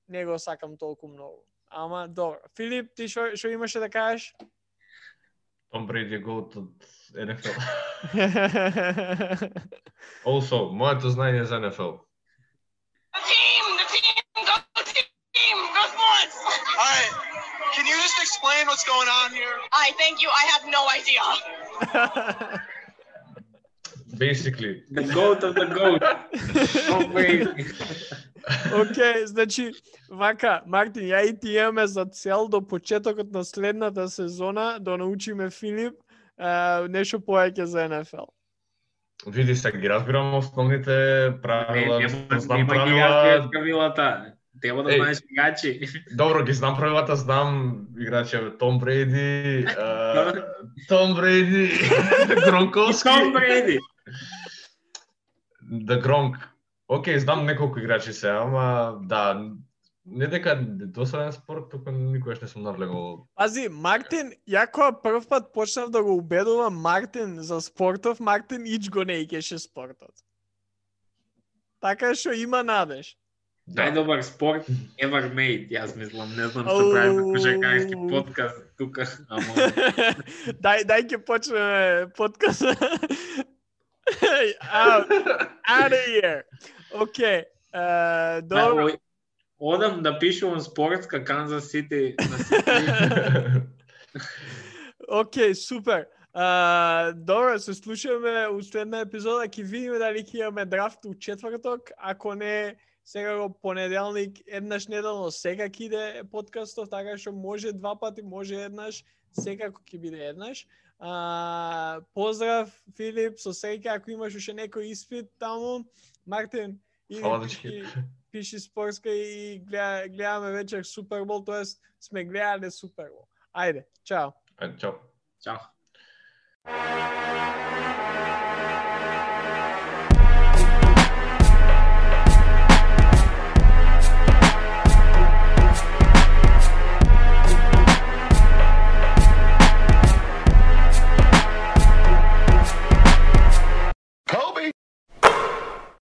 не го сакам толку многу. Ама добро. Филип, ти што што имаше да кажеш? Том Бреди е GOAT од Н Ф Л. Also, моето знаење за Н Ф Л. The team, the team, go team, go sports. All right, can you just explain what's going on here? I thank you. I have no idea. Basically. The GOAT of the GOAT. Tom Brady. Океј, значи, вака, Мартин, ја и ти имаме за цел до почетокот на следната сезона да научиме Филип uh, нешто повеќе за Н Ф Л. Види се, ги разбирам основните правила, Не, знам нема ги правила. разбираш правилата. Треба да Еј. знаеш играчи. Добро, ги знам правилата, знам играчи Том Бреди, uh, Том Бреди, Гронковски. Том Бреди. Да Гронк. Океј, знам неколку играчи се, ама да, не дека досаден спорт, тука никогаш не сум навлегол. Пази, Мартин, ја кога прв пат почнав да го убедувам Мартин за спортов, Мартин ич го не икеше спортот. Така што има надеж. Најдобар спорт ever made, јас мислам, не знам што правиме кошаркарски подкаст тука, ама дај, дај ќе почнеме подкаст. out, out of here. Океј, uh, добро. Ој, одам да пишувам спортска Канзас Сити на Сити. Океј, супер. Uh, добро, се слушаме у следна епизода, ќе видиме дали ќе имаме драфт у четврток, ако не сега го понеделник, еднаш неделно секако иде подкастов, така што може два пати, може еднаш, секако ќе биде еднаш. Uh, поздрав, Филип, со среќа, ако имаш уште некој испит таму, Мартин, иди пиши, пиши спортска и гледа, гледаме вечер Супербол, тоест сме гледале Супербол. Ајде, чао. Ајде, чао. Чао.